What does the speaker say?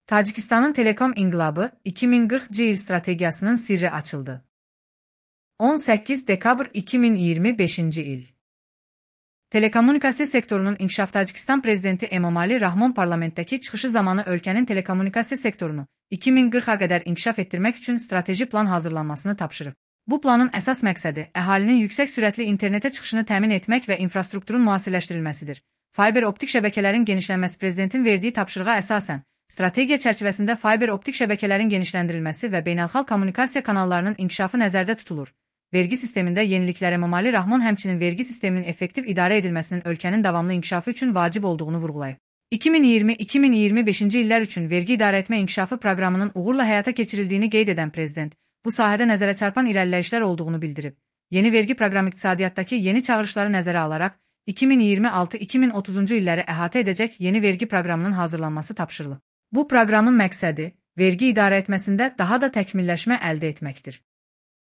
Tacikistanın Telekom İnqilabı 2040 il strategiyasının sirri açıldı. 18 dekabr 2025 il. Telekommunikasiya sektorunun inkişaf Tacikistan prezidenti Emomali Rahmon parlamentdəki çıxışı zamanı ölkənin telekommunikasiya sektorunu 2040-a qədər inkişaf etdirmək üçün strateji plan hazırlanmasını tapşırıb. Bu planın əsas məqsədi əhalinin yüksək sürətli internetə çıxışını təmin etmək və infrastrukturun müasirləşdirilməsidir. Fiber optik şəbəkələrin genişlənməsi prezidentin verdiyi tapşırığa əsasən, strategiya çərçivəsində fiber optik şəbəkələrin genişləndirilməsi və beynəlxalq kommunikasiya kanallarının inkişafı nəzərdə tutulur. Vergi sistemində yeniliklər Emomali Rahmon həmçinin vergi sisteminin effektiv idarə edilməsinin ölkənin davamlı inkişafı üçün vacib olduğunu vurğulayıb. 2020-2025 illər üçün vergi idarəetmə inkişafı proqramının uğurla həyata keçirildiyini qeyd edən prezident, bu sahədə nəzərə çarpan irəliləyişlər olduğunu bildirib. Yeni vergi proqramı iqtisadiyyatdakı yeni çağırışları nəzərə alaraq, 2026-2030 illəri əhatə edəcək yeni vergi proqramının hazırlanması tapşırılıb. Bu proqramın məqsədi, vergi idarəetməsində daha da təkmilləşmə əldə etməkdir.